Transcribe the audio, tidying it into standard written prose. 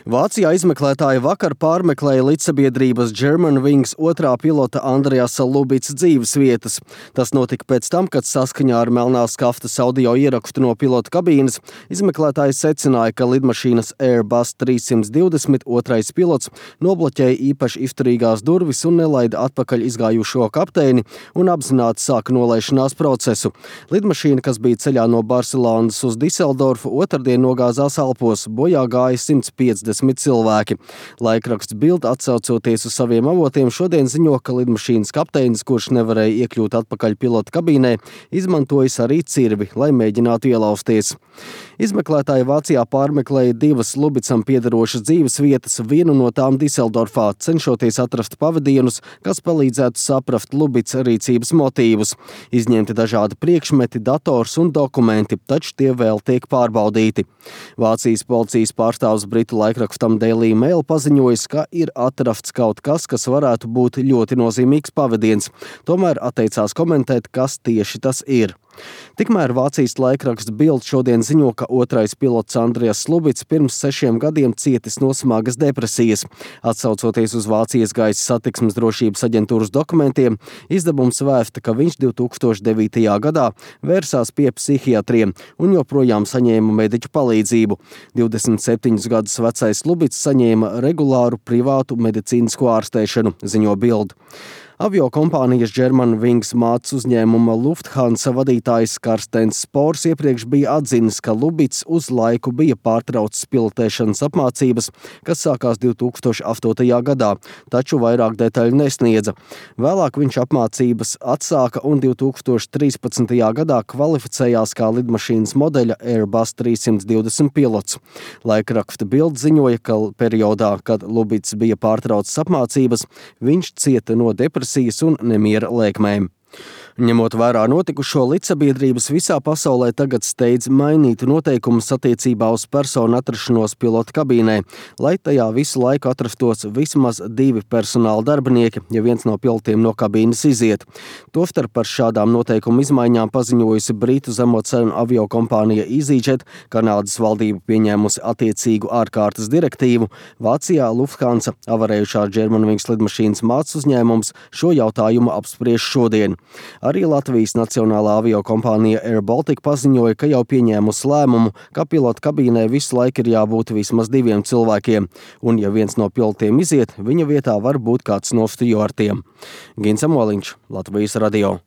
Vācijā izmeklētāji vakar pārmeklēja līdzsabiedrības Germanwings otrā pilota Andreasa Lubits dzīvesvietas. Tas notika pēc tam, kad saskaņā ar melnās kaftas audio ierakstu no pilota kabīnes izmeklētāji secināja, ka lidmašīnas Airbus 320 otrais pilots nobloķēja īpaši izturīgās durvis un nelaida atpakaļ izgājušo kapteini un apzināti sāka nolaišanās procesu. Lidmašīna, kas bija ceļā no Barcelonas uz Diseldorfu, otrdien nogāzās Alpos, bojā gāja 150 cilvēki. Laikraksts Bild, atsaucoties uz saviem avotiem, šodien ziņo, ka lidmašīnas kapteinis, kurš nevarēja iekļūt atpakaļ pilota kabīnē, izmantojis arī cirvi, lai mēģinātu ielausties. Izmeklētāji Vācijā pārmeklēja divas Lubicam piederošas dzīvesvietas, vienu no tām Diseldorfā, cenšoties atrast pavadienus, kas palīdzētu saprast Lubits rīcības motīvus. Izņemti dažādi priekšmeti, dators un dokumenti, taču tie vēl tiek pārbaudīti. Vācijas policijas pārstāvs britu laikrakstam Daily Mail paziņojis, ka ir atrasts kaut kas, kas varētu būt ļoti nozīmīgs pavadiens. Tomēr atteicās komentēt, kas tieši tas ir. Tikmēr Vācijas laikraksts Bild šodien ziņo, ka otrais pilots Andreas Lubits pirms 6 gadiem cietis no smagas depresijas. Atsaucoties uz Vācijas gaisa satiksmes drošības aģentūras dokumentiem, izdevums vēsta, ka viņš 2009. gadā vērsās pie psihiatriem un joprojām saņēma mediķu palīdzību. 27 gadus vecais Lubits saņēma regulāru privātu medicīnisko ārstēšanu, ziņo Bild. Aviokompānijas Germanwings mātes uzņēmuma Lufthansa vadītājs Karstens Spors iepriekš bija atzinis, ka Lubits uz laiku bija pārtraucis pilotēšanas apmācības, kas sākās 2008. gadā, taču vairāk detaļu nesniedza. Vēlāk viņš apmācības atsāka un 2013. gadā kvalificējās kā lidmašīnas modeļa Airbus 320 pilots. Laikraksta Bild ziņoja, ka periodā, kad Lubits bija pārtraucis apmācības, viņš cieta no depresijas un nemiera lēkmēm. Ņemot vērā notikušo, līdzsabiedrības visā pasaulē tagad steidz mainīt noteikumus attiecībā uz personu atrašanos pilota kabīnē, lai tajā visu laiku atrastos vismaz 2 personāla darbinieki, ja viens no pilotiem no kabīnes iziet. Tostarp par šādām noteikumu izmaiņām paziņojusi britu zemocenu aviokompānija EasyJet, Kanādas valdība pieņēmusi attiecīgu ārkārtas direktīvu. Vācijā Lufthansa, avarējušā Germanwings lidmašīnas mātes uzņēmums, šo jautājumu apspriež šodien. Arī Latvijas nacionālā aviokompānija Air Baltica paziņoja, ka jau pieņēmusi lēmumu, ka pilota kabīnē visu laiku ir jābūt vismaz 2 cilvēkiem, un ja viens no pilotiem iziet, viņa vietā var būt kāds no stjuartiem. Gins Amoliņš, Latvijas radio.